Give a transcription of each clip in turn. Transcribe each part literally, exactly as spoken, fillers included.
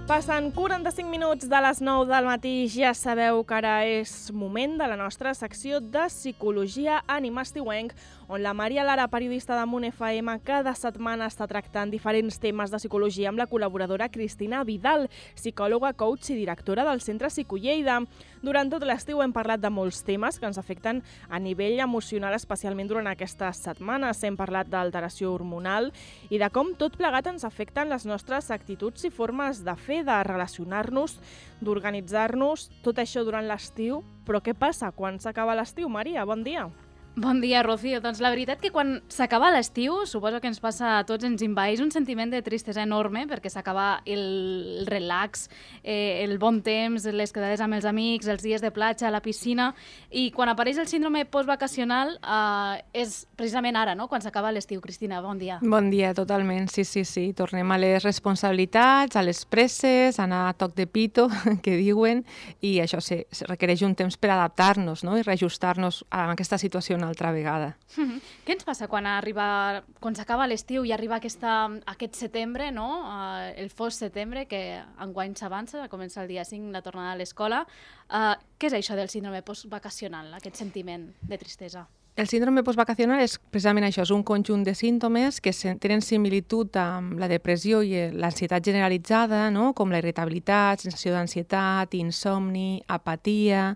Passen quaranta-cinc minuts de les nou del matí. Ja sabeu que ara és moment de la nostra secció de Psicologia Ànima Estiuenc, on la Maria Lara, periodista de Munt F M, cada setmana està tractant diferents temes de psicologia amb la col·laboradora Cristina Vidal, psicòloga, coach i directora del Centre Psicolleida. Durant tot l'estiu hem parlat de molts temes que ens afecten a nivell emocional, especialment durant aquestes setmanes. Hem parlat d'alteració hormonal i de com tot plegat ens afecten les nostres actituds i formes de fer, de relacionar-nos, d'organitzar-nos, tot això durant l'estiu. Però què passa quan s'acaba l'estiu, Maria? Bon dia. Bon dia, Rocío. Doncs la veritat que quan s'acaba l'estiu, suposo que ens passa a tots, ens envaeix un sentiment de tristesa enorme perquè s'acaba el relax, eh, el bon temps, les quedades amb els amics, els dies de platja, a la piscina, i quan apareix el síndrome postvacacional eh, és precisament ara, no?, quan s'acaba l'estiu. Cristina, bon dia. Bon dia, totalment. Sí, sí, sí. Tornem a les responsabilitats, a les presses, a anar a toc de pito, que diuen, i això sí, requereix un temps per adaptar-nos, no?, i reajustar-nos a aquesta situació una altra vegada. Mm-hmm. Què ens passa quan arriba, quan s'acaba l'estiu i arriba aquesta, aquest setembre, no? Uh, el fos setembre, que enguany s'avança, comença el dia cinc, la tornada a l'escola. Uh, què és això del síndrome postvacacional, aquest sentiment de tristesa? El síndrome postvacacional és precisament això, és un conjunt de símptomes que tenen similitud amb la depressió i l'ansietat generalitzada, no?, com la irritabilitat, sensació d'ansietat, insomni, apatia,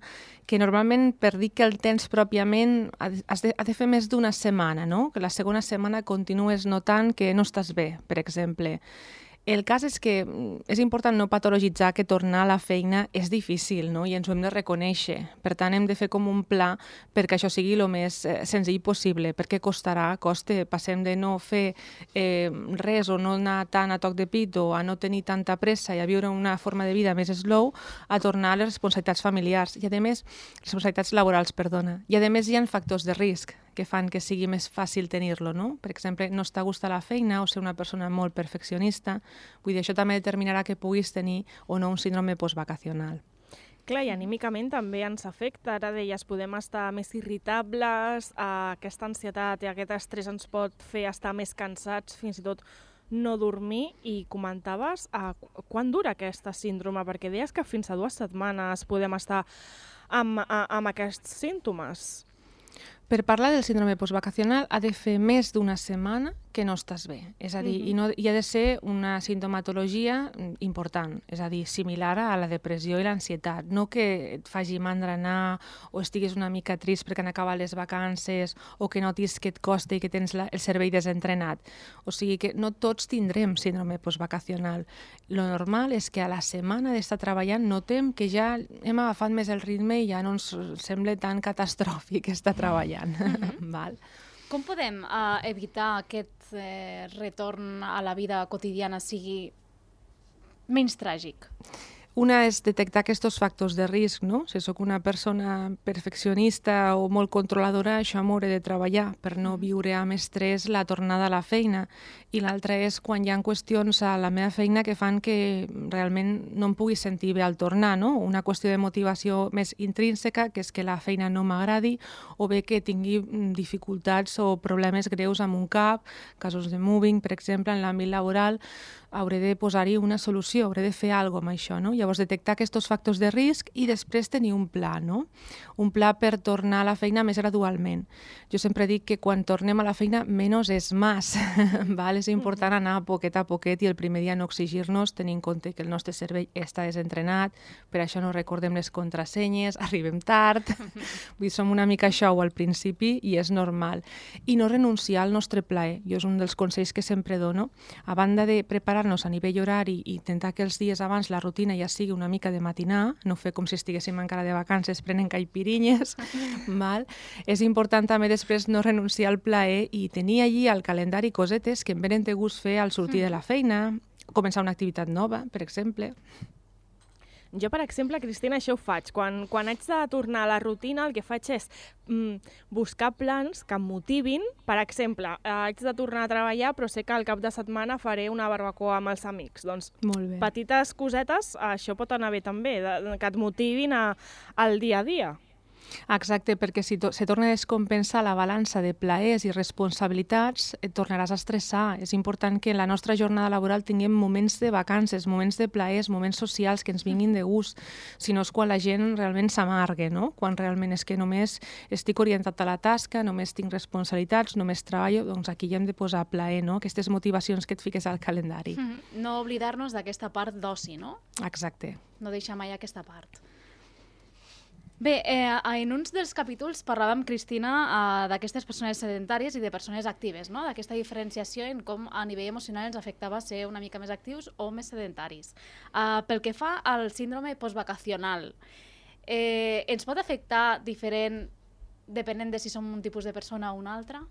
que normalment, per dir que el tens pròpiament, has de, ha de fer més d'una setmana, no?, que la segona setmana continues notant que no estàs bé, per exemple. El cas és que és important no patologitzar que tornar a la feina és difícil, no?, i ens ho hem de reconèixer. Per tant, hem de fer com un pla perquè això sigui el més eh, senzill possible, perquè costarà, costa. Passem de no fer eh, res o no anar tant a toc de pit o a no tenir tanta pressa i a viure una forma de vida més slow, a tornar a les responsabilitats familiars i, a més, responsabilitats laborals, perdona. I, a més, hi ha factors de risc que fan que sigui més fàcil tenir-lo, no? Per exemple, no estar a gust a la feina o ser una persona molt perfeccionista. Vull dir, això també determinarà que puguis tenir o no un síndrome postvacacional. Clar, i anímicament també ens afecta. Ara deies, podem estar més irritables, eh, aquesta ansietat i aquest estrès ens pot fer estar més cansats, fins i tot no dormir, i comentaves eh, quan dura aquesta síndrome, perquè deies que fins a dues setmanes podem estar amb, amb aquests símptomes. Per parlar del síndrome postvacacional ha de fer més d'una setmana que no estàs bé. És a dir, uh-huh. i, no, i ha de ser una sintomatologia important, és a dir, similar a la depressió i l'ansietat. No que et faci mandra anar o estiguis una mica trist perquè han acabat les vacances o que notis que et costa i que tens la, el cervell desentrenat. O sigui que no tots tindrem síndrome postvacacional. Lo normal és que a la setmana d'estar treballant notem que ja hem agafat més el ritme i ja no ens sembla tan catastròfic estar treballant. Mm-hmm. Val. Com podem uh, evitar aquest eh, retorn a la vida quotidiana sigui menys tràgic? Una és detectar aquests factors de risc, no? Si sóc una persona perfeccionista o molt controladora, això m'hauré de treballar per no viure amb estrès la tornada a la feina. I l'altra és quan hi ha qüestions a la meva feina que fan que realment no em pugui sentir bé al tornar, no? Una qüestió de motivació més intrínseca, que és que la feina no m'agradi, o bé que tingui dificultats o problemes greus amb un cap, casos de moving, per exemple, en l'àmbit laboral, hauré de posar-hi una solució, hauré de fer alguna cosa amb això, no? Llavors, detectar aquests factors de risc i després tenir un pla, no? Un pla per tornar a la feina més gradualment. Jo sempre dic que quan tornem a la feina, menys és més. Val? És important anar poquet a poquet i el primer dia no exigir-nos, tenint en compte que el nostre cervell està desentrenat, per això no recordem les contrasenyes, arribem tard, vull dir, som una mica xou al principi i és normal. I no renunciar al nostre plaer. Jo és un dels consells que sempre dono. A banda de preparar-nos a nivell horari i intentar que els dies abans la rutina ja sigui una mica de matinar, no fer com si estiguéssim encara de vacances prenent caipirinyes, val? És important també després no renunciar al plaer i tenir allí al calendari cosetes que em venen de gust fer al sortir de la feina, començar una activitat nova, per exemple. Jo, per exemple, Cristina, això ho faig. Quan, quan haig de tornar a la rutina, el que faig és mm, buscar plans que em motivin. Per exemple, eh, haig de tornar a treballar, però sé que al cap de setmana faré una barbacoa amb els amics. Doncs, Molt bé. Petites cosetes, això pot anar bé també, de, que et motivin a, al dia a dia. Exacte, perquè si to se torna a descompensar la balança de plaers i responsabilitats, et tornaràs a estressar. És important que en la nostra jornada laboral tinguem moments de vacances, moments de plaers, moments socials que ens vinguin de gust. Si no és quan la gent realment s'amarga, no? Quan realment és que només estic orientat a la tasca, només tinc responsabilitats, només treballo, doncs aquí hi hem de posar plaer, no? Aquestes motivacions que et fiques al calendari. Mm -hmm. No oblidar-nos d'aquesta part d'oci, no? Exacte. No deixar mai aquesta part. Bé, eh, en uns dels capítols parlàvem, Cristina, eh, d'aquestes persones sedentàries i de persones actives, no? D'aquesta diferenciació en com a nivell emocional ens afectava ser una mica més actius o més sedentaris. Eh, pel que fa al síndrome postvacacional, eh, ens pot afectar diferent depenent de si som un tipus de persona o una altra?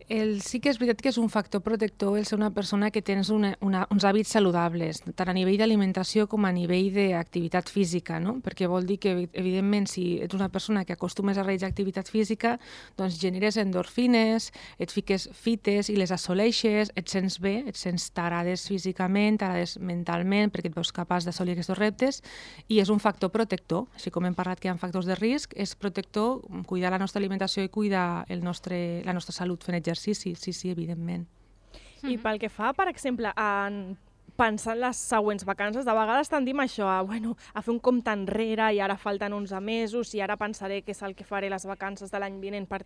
El, sí que és veritat que és un factor protector el ser una persona que tens una, una, uns hàbits saludables, tant a nivell d'alimentació com a nivell d'activitat física, no? Perquè vol dir que, evidentment, si ets una persona que acostumes a realitzar activitat física, doncs generes endorfines, et fiques fites i les assoleixes, et sents bé, et sents t'agrades físicament, t'agrades mentalment, perquè et veus capaç d'assolir aquests reptes, i és un factor protector. Així com hem parlat que hi ha factors de risc, és protector cuidar la nostra alimentació i cuidar el nostre, la nostra salut fent exercici. Sí, sí, sí, evidentment. I pel que fa, per exemple, en pensar en les següents vacances, de vegades tendim això, a, bueno, a fer un compte enrere i ara falten onze mesos i ara pensaré què és el que faré les vacances de l'any vinent per,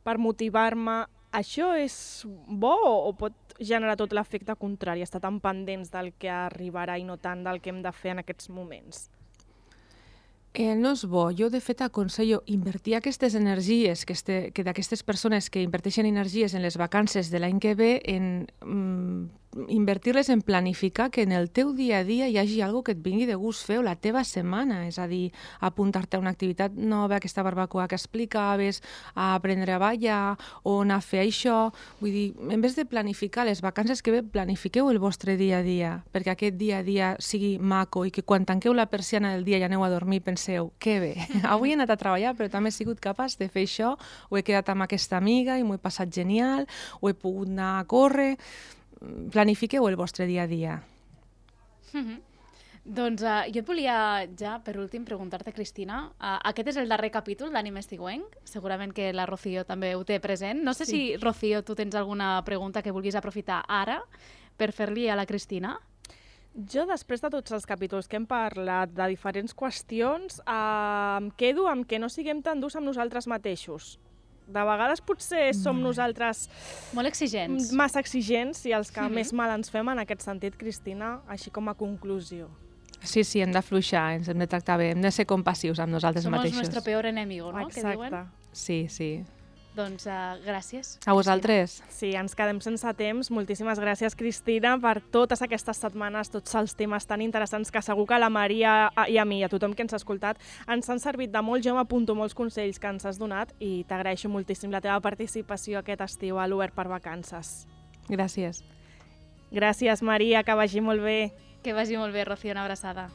per motivar-me. Això és bo o pot generar tot l'efecte contrari, estar tan pendents del que arribarà i no tant del que hem de fer en aquests moments? Eh, no és bo. Jo, de fet, aconsello invertir aquestes energies, que, este, que d'aquestes persones que inverteixen energies en les vacances de l'any que ve, en mm, invertir-les en planificar que en el teu dia a dia hi hagi alguna que et vingui de gust fer o la teva setmana, és a dir, apuntar-te a una activitat nova, aquesta barbacoa que explicaves, a aprendre a ballar o anar a fer això. Vull dir, en vez de planificar les vacances que ve, planifiqueu el vostre dia a dia, perquè aquest dia a dia sigui maco i que quan tanqueu la persiana del dia i aneu a dormir penseu, que bé, avui he anat a treballar però també he sigut capaç de fer això, o he quedat amb aquesta amiga i m'ho he passat genial, o he pogut anar a córrer. Planifiqueu el vostre dia a dia. Mm-hmm. Doncs uh, jo et volia ja, per últim, preguntar-te, Cristina, uh, aquest és el darrer capítol d'Ànima Estiuenc, segurament que la Rocío també ho té present. No sé sí. si, Rocío, tu tens alguna pregunta que vulguis aprofitar ara per fer-li a la Cristina? Jo, després de tots els capítols que hem parlat de diferents qüestions, eh, em quedo amb que no siguem tan durs amb nosaltres mateixos. De vegades potser som nosaltres molt exigents, massa exigents i els que mm-hmm. més mal ens fem en aquest sentit, Cristina, així com a conclusió. Sí, sí, hem d'afluixar, ens hem de tractar bé, hem de ser compassius amb nosaltres Somos mateixos. Som nuestro peor enemigo, no? Exacte. Que diuen? Sí, sí. Doncs uh, gràcies. A vosaltres. Sí, ens quedem sense temps. Moltíssimes gràcies, Cristina, per totes aquestes setmanes, tots els temes tan interessants que segur que a la Maria i a mi i a tothom que ens ha escoltat ens han servit de molt. Jo m'apunto molts consells que ens has donat i t'agraeixo moltíssim la teva participació aquest estiu a l'Obert per Vacances. Gràcies. Gràcies, Maria, que vagi molt bé. Que vagi molt bé, Rocío, una abraçada.